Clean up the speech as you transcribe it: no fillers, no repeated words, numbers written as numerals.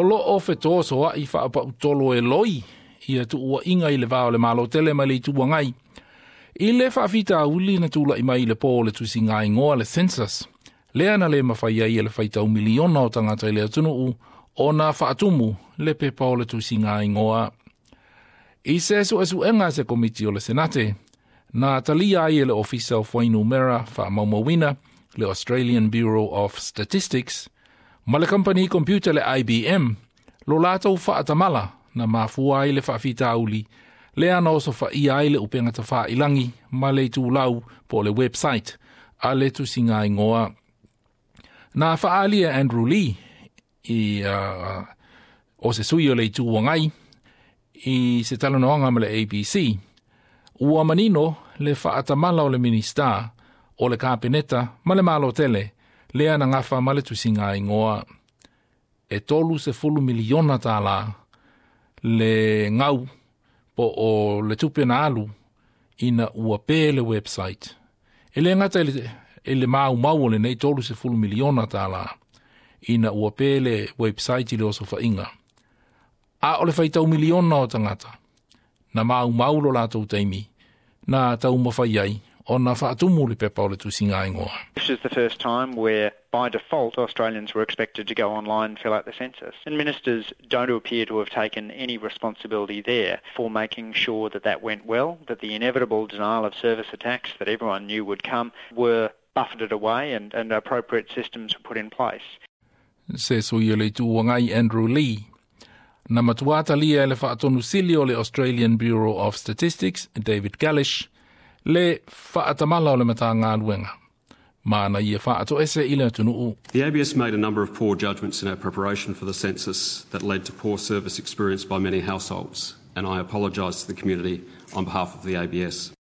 Loo fetosoaʻi faapaʻutolo e loi ia tuuaʻiga i le va o le Malo tele ma le Itu Agai i le faafitauli na tulaʻi mai i le pō o le tusigaigoa, le census, lea na lē mafai ai e le faitau miliona o tagata i le atunuu ona faatumu le pepa o le tusigaigoa. I se suesuega a se komiti o le Senate, na talia ai e le Ofisa o Fuainumera Faamaumauina, le Australian Bureau of Statistics, ma le kamupani computer le IBM lo latou faatamala na mafua ai le faafitauli lea na osofaia ai le upega tafailagi ma le itulau po o le website a le tusigaigoa. Na faaalia Andrew Lee i o se sui o le Itu Agai i se talanoaga ma le ABC ua manino le faatamala o le Minista o le Kapeneta ma le Malo tele lea na gafa ma le tusigaigoa. E $30 miliona le gau po o le tupe na alu ina ua pe le website. E le gata i le maumau o lenei $30 miliona ina ua pe le website i le osofaiga, a o le faitau miliona o tagata na maumau lo latou taimi na taumafai ai ona faatumu le pepa o le tusigaigoa. This is the first time where, by default, Australians were expected to go online and fill out the census. And ministers don't appear to have taken any responsibility there for making sure that that went well, that the inevitable denial of service attacks that everyone knew would come were buffeted away and appropriate systems were put in place. Se sui o le Itu Agai Andrew Lee. Na matua talia e le faatonu sili o le Australian Bureau of Statistics, David Kalisch, le faatamala o le Matagaluega ma na ia faatoese i le atunuu. The ABS made a number of poor judgments in our preparation for the census that led to poor service experience by many households, and I apologise to the community on behalf of the ABS.